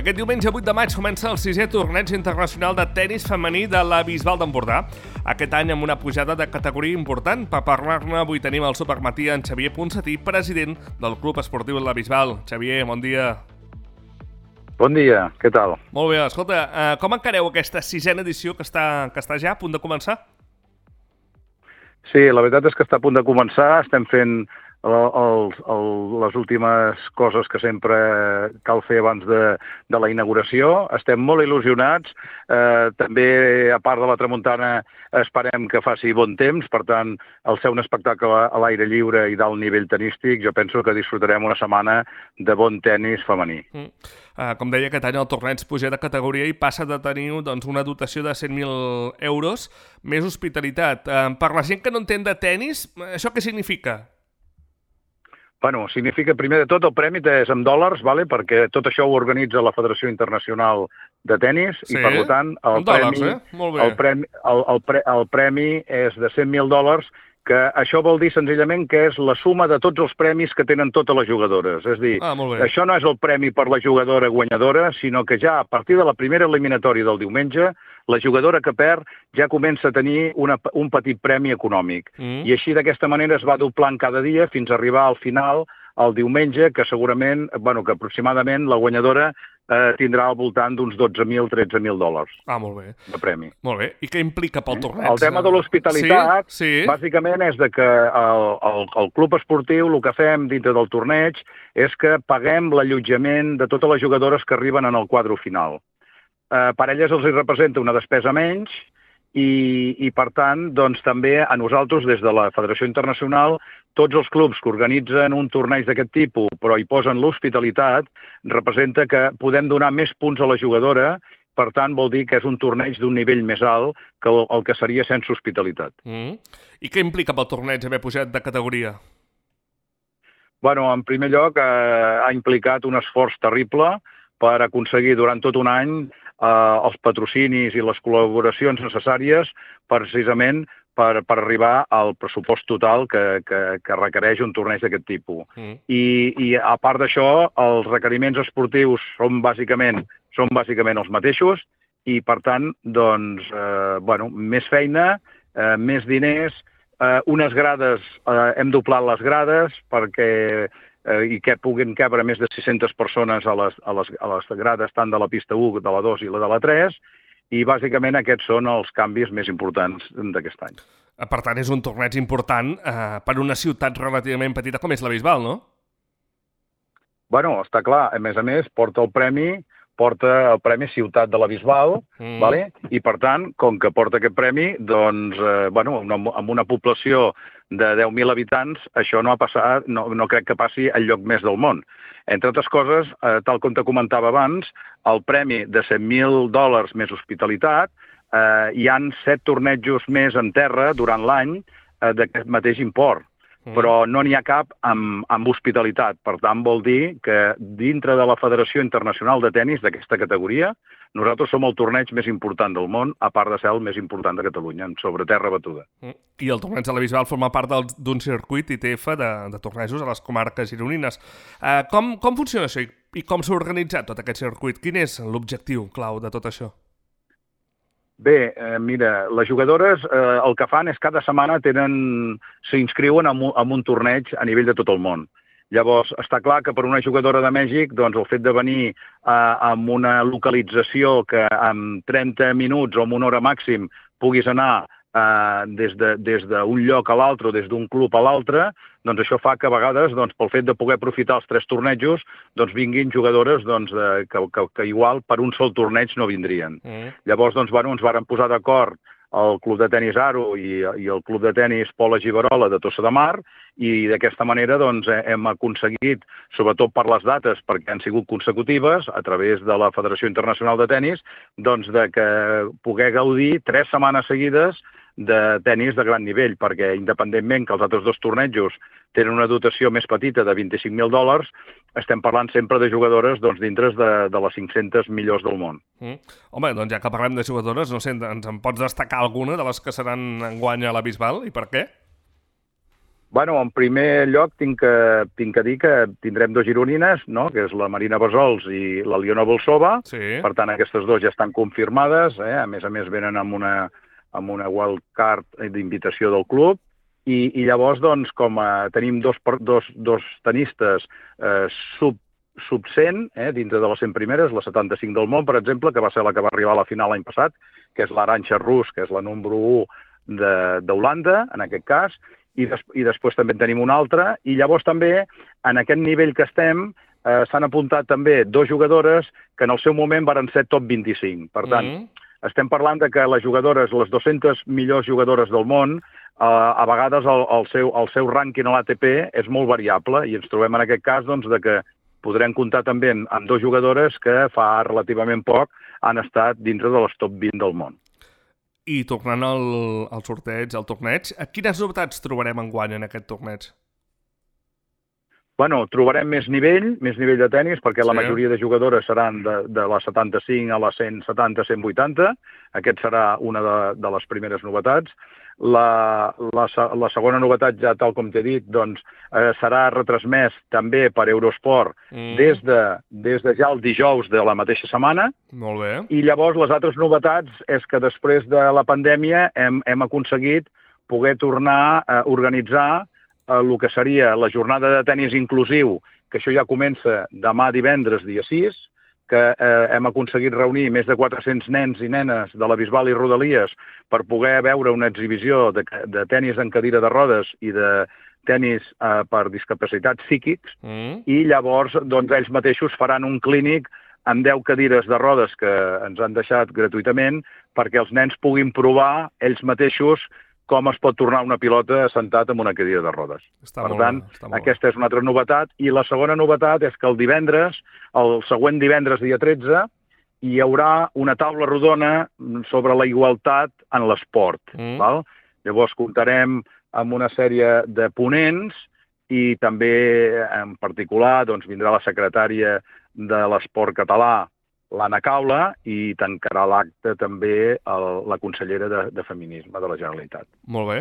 Aquest diumenge 8 de maig comença el 6è torneig internacional de tenis femení de la Bisbal d'Empordà. Aquest any amb una pujada de categoria important. Per parlar-ne avui tenim al supermatí en Xavier Ponsatí, president del Club Esportiu de la Bisbal. Xavier, bon dia. Bon dia, què tal? Molt bé, escolta, com encareu aquesta 6a edició que està ja a punt de començar? Sí, la veritat és que està a punt de començar, estem fent les últimes coses que sempre cal fer abans de la inauguració. Estem molt il·lusionats, també a part de la tramuntana esperem que faci bon temps, per tant, al ser un espectacle a l'aire lliure i d'alt nivell tenístic, jo penso que disfrutarem una setmana de bon tenis femení. Com deia, aquest any el torneig puja de categoria i passa de tenir una dotació de 100.000 euros més hospitalitat. Per la gent que no entén de tenis, això què significa? Bueno, significa, primer de tot, el premi és en dòlars, vale? Perquè tot això ho organitza la Federació Internacional de Tenis, sí? I per tant el premi és de $100.000, que això vol dir senzillament que és la suma de tots els premis que tenen totes les jugadores. És a dir, això no és el premi per la jugadora guanyadora, sinó que ja a partir de la primera eliminatòria del diumenge, la jugadora que perd ja comença a tenir un petit premi econòmic. I així d'aquesta manera es va doblant cada dia fins a arribar al final, el diumenge, que segurament, que aproximadament la guanyadora tindrà al voltant d'uns $12.000, $13.000 de premi. Molt bé. I què implica pel torneig? El tema de l'hospitalitat, bàsicament, és que el club esportiu, el que fem dintre del torneig, és que paguem l'allotjament de totes les jugadores que arriben en el quadre final. Per elles els representa una despesa menys i per tant, doncs, també a nosaltres, des de la Federació Internacional, tots els clubs que organitzen un torneig d'aquest tipus, però hi posen l'hospitalitat, representa que podem donar més punts a la jugadora, per tant, vol dir que és un torneig d'un nivell més alt que el que seria sense hospitalitat. I què implica pel torneig haver pujat de categoria? Bueno, en primer lloc, ha implicat un esforç terrible per aconseguir durant tot un any els patrocinis i les col·laboracions necessàries precisament per arribar al pressupost total que requereix un torneig d'aquest tipus. I a part d'això, els requeriments esportius són bàsicament els mateixos i, per tant, doncs, més feina, més diners, unes grades, hem doblat les grades perquè i que puguin cabre més de 600 persones a les grades tant de la pista 1, de la 2 i la de la 3, i bàsicament aquests són els canvis més importants d'aquest any. Per tant, és un torneig important per una ciutat relativament petita com és la Bisbal, no? Bueno, està clar. A més, porta el premi Ciutat de la Bisbal, i per tant, com que porta aquest premi, doncs, amb una població de 10.000 habitants, això no ha passat, no crec que passi al lloc més del món. Entre altres coses, tal com te comentava abans, el premi de $100.000 més hospitalitat, hi han 7 tornejos més en terra durant l'any d'aquest mateix import, però no n'hi ha cap amb hospitalitat. Per tant, vol dir que dintre de la Federació Internacional de Tenis d'aquesta categoria, nosaltres som el torneig més important del món, a part de ser el més important de Catalunya, sobre terra batuda. I el torneig de la Bisbal forma part d'un circuit ITF de tornejos a les comarques gironines. Com funciona això i com s'ha organitzat tot aquest circuit? Quin és l'objectiu clau de tot això? Bé, mira, les jugadores el que fan és cada setmana s'inscriuen en un torneig a nivell de tot el món. Llavors, està clar que per una jugadora de Mèxic, doncs el fet de venir amb una localització que en 30 minuts o en una hora màxim puguis anar des d'un lloc a l'altre o des d'un club a l'altre, doncs això fa que a vegades, pel fet de poder aprofitar els 3 tornejos, doncs vinguin jugadores que igual per un sol torneig no vindrien. Llavors, ens varen posar d'acord el Club de Tenis Aro i el Club de Tenis Pola Giberola de Tossa de Mar, i d'aquesta manera hem aconseguit, sobretot per les dates, perquè han sigut consecutives, a través de la Federació Internacional de Tenis, de poder gaudir 3 setmanes seguides de tenis de gran nivell, perquè independentment que els altres 2 tornejos tenen una dotació més petita de $25.000, estem parlant sempre de jugadores dintre de les 500 millors del món. Home, doncs ja que parlem de jugadores, no sé, ens en pots destacar alguna de les que seran enguany a la Bisbal i per què? Bueno, en primer lloc tinc que dir que tindrem dos gironines, no? Que és la Marina Bassols i la Liona Bolsova. Sí. Per tant, aquestes dues ja estan confirmades. A més venen amb una wildcard d'invitació del club. I llavors, doncs, com tenim dos tenistes sub 100, dintre de les 100 primeres, la 75 del món, per exemple, que va ser la que va arribar a la final l'any passat, que és l'Arantxa Rus, que és la número 1 d'Holanda, en aquest cas, i després també en tenim una altra, i llavors també, en aquest nivell que estem, s'han apuntat també dos jugadores que en el seu moment varen ser top 25. Per tant, estem parlant de que les jugadores, les 200 millors jugadores del món, a vegades el seu rànquing a l'ATP és molt variable, i ens trobem en aquest cas doncs, de que podrem comptar també amb dos jugadores que fa relativament poc han estat dintre de les top 20 del món. I tornant al sorteig, al torneig, quines novetats trobarem enguany en aquest torneig? Bueno, trobarem més nivell de tennis, perquè la majoria de jugadores seran de la 75 a la 170-180. Aquest serà una de les primeres novetats. La segona novetat, ja tal com t'he dit, doncs, serà retransmès també per Eurosport des de ja el dijous de la mateixa setmana. Molt bé. I llavors les altres novetats és que després de la pandèmia hem aconseguit poder tornar a organitzar el que seria la jornada de tennis inclusiu, que això ja comença demà divendres, dia 6, que hem aconseguit reunir més de 400 nens i nenes de la Bisbal i Rodalies per poder veure una exhibició de tennis en cadira de rodes i de tennis per discapacitats psíquics, i llavors doncs, ells mateixos faran un clínic amb 10 cadires de rodes que ens han deixat gratuïtament perquè els nens puguin provar ells mateixos com es pot tornar una pilota sentat en una cadira de rodes. Per tant, aquesta és una altra novetat. I la segona novetat és que el divendres, el següent divendres, dia 13, hi haurà una taula rodona sobre la igualtat en l'esport. Llavors, comptarem amb una sèrie de ponents i també, en particular, doncs, vindrà la secretària de l'esport català, l'Anna Caula, i tancarà l'acte també la consellera de Feminisme de la Generalitat. Molt bé.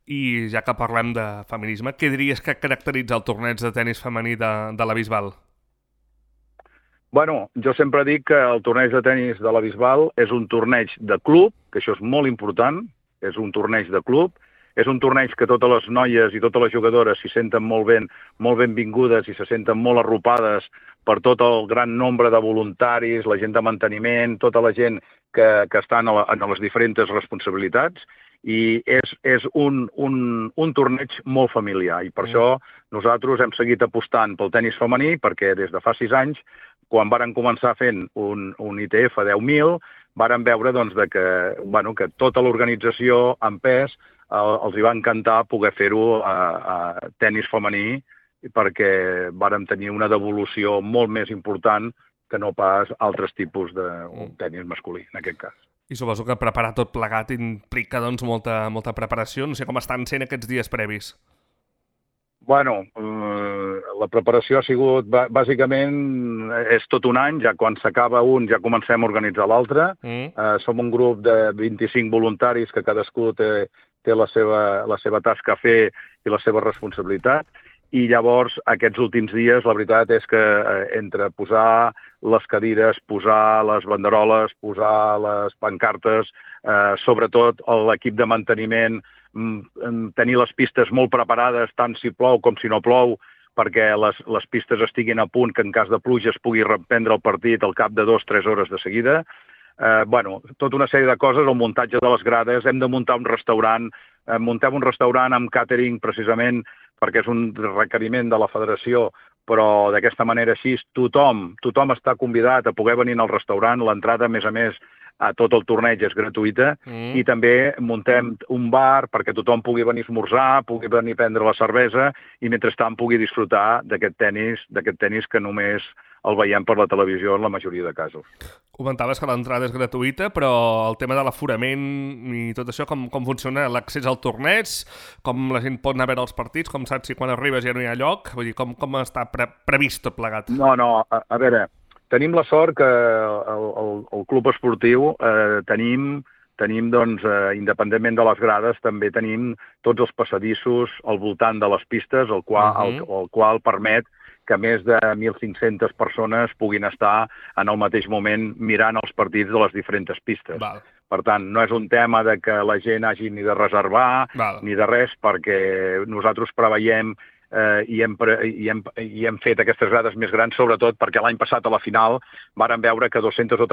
I ja que parlem de feminisme, què diries que caracteritza el torneig de tenis femení de la Bisbal? Bueno, jo sempre dic que el torneig de tenis de la Bisbal és un torneig de club, que això és molt important, és un torneig de club, és un torneig que totes les noies i totes les jugadores s'hi senten molt benvingudes i se senten molt arropades per tot el gran nombre de voluntaris, la gent de manteniment, tota la gent que estan en les diferents responsabilitats, i és un torneig molt familiar, i per això nosaltres hem seguit apostant pel tenis femení, perquè des de fa 6 anys, quan varen començar fent un ITF a 10.000, varen veure doncs, que tota l'organització en pes els hi va encantar poder fer-ho a tenis femení, perquè vàrem tenir una devolució molt més important que no pas altres tipus de tenis masculí, en aquest cas. I suposo que preparar tot plegat implica doncs, molta preparació. No sé com estan sent aquests dies previs. Bueno, la preparació ha sigut, bàsicament, és tot un any. Ja quan s'acaba un ja comencem a organitzar l'altre. Som un grup de 25 voluntaris que cadascú té la seva tasca a fer i la seva responsabilitat. I llavors, aquests últims dies, la veritat és que entre posar les cadires, posar les banderoles, posar les pancartes, sobretot l'equip de manteniment, tenir les pistes molt preparades, tant si plou com si no plou, perquè les pistes estiguin a punt, que en cas de pluja es pugui reprendre el partit al cap de 2-3 hores de seguida. Tota una sèrie de coses, el muntatge de les grades, hem de muntar un restaurant, muntem un restaurant amb càtering precisament perquè és un requeriment de la federació, però d'aquesta manera així tothom està convidat a poder venir al restaurant. L'entrada, a més, a tot el torneig és gratuïta, i també muntem un bar perquè tothom pugui venir a esmorzar, pugui venir a prendre la cervesa i mentrestant pugui disfrutar d'aquest tenis que només el veiem per la televisió en la majoria de casos. Comentaves que l'entrada és gratuïta, però el tema de l'aforament i tot això, com funciona l'accés al torneig, com la gent pot anar a veure els partits, com saps si quan arribes ja no hi ha lloc, vull dir, com està previst tot plegat? No, a veure, tenim la sort que el club esportiu tenim tenim, doncs, independentment de les grades, també tenim tots els passadissos al voltant de les pistes, el qual permet que més de 1.500 persones puguin estar en el mateix moment mirant els partits de les diferents pistes. Val. Per tant, no és un tema de que la gent hagi ni de reservar ni de res, perquè nosaltres preveiem i hem fet aquestes grades més grans, sobretot perquè l'any passat a la final vàrem veure que 200 o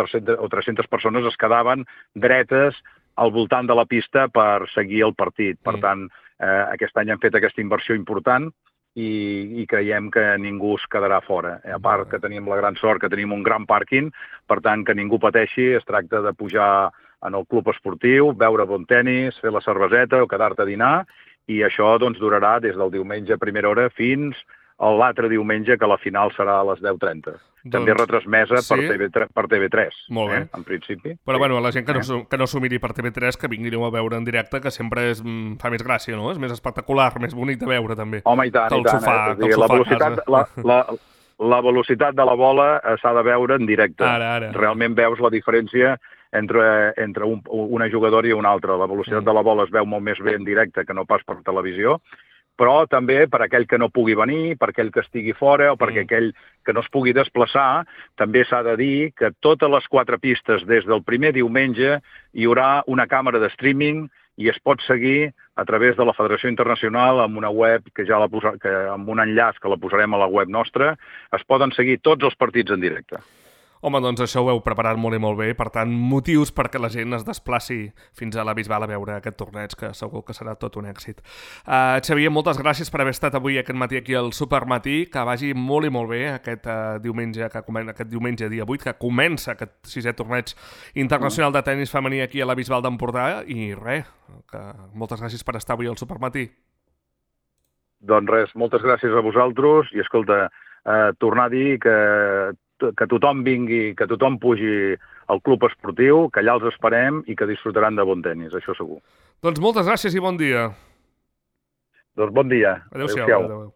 300 persones es quedaven dretes al voltant de la pista per seguir el partit. Per tant, aquest any hem fet aquesta inversió important i creiem que ningú es quedarà fora. A part que tenim la gran sort que tenim un gran pàrquing, per tant, que ningú pateixi, es tracta de pujar en el club esportiu, beure bon tenis, fer la cerveseta o quedar-te a dinar, i això doncs, durarà des del diumenge a primera hora fins a l'altre diumenge, que la final serà a les 10:30. També retransmesa per TV3, molt bé. En principi. Però bueno, la gent que no s'ho miri per TV3, que vinguin a veure en directe, que sempre fa més gràcia, no? És més espectacular, més bonic de veure, també. Home, i tant, la velocitat de la bola s'ha de veure en directe. Ara. Realment veus la diferència entre una jugadora i una altra. La velocitat de la bola es veu molt més bé en directe que no pas per televisió, però també per aquell que no pugui venir, per aquell que estigui fora o per aquell que no es pugui desplaçar, també s'ha de dir que totes les 4 pistes, des del primer diumenge, hi haurà una càmera de streaming i es pot seguir a través de la Federació Internacional amb una web amb un enllaç que la posarem a la web nostra. Es poden seguir tots els partits en directe. Home, doncs això ho heu preparat molt i molt bé, per tant, motius perquè la gent es desplaci fins a la Bisbal a veure aquest torneig, que segur que serà tot un èxit. Xavier, moltes gràcies per haver estat avui aquest matí aquí al Supermatí, que vagi molt i molt bé aquest diumenge dia 8, que comença aquest 6è torneig internacional de tennis femení aquí a la Bisbal d'Empordà, i res, moltes gràcies per estar avui al Supermatí. Doncs res, moltes gràcies a vosaltres, i escolta, tornar a dir que tothom vingui, que tothom pugi al club esportiu, que allà els esperem i que disfrutaran de bon tenis, això segur. Doncs moltes gràcies i bon dia. Doncs bon dia. Adéu-siau.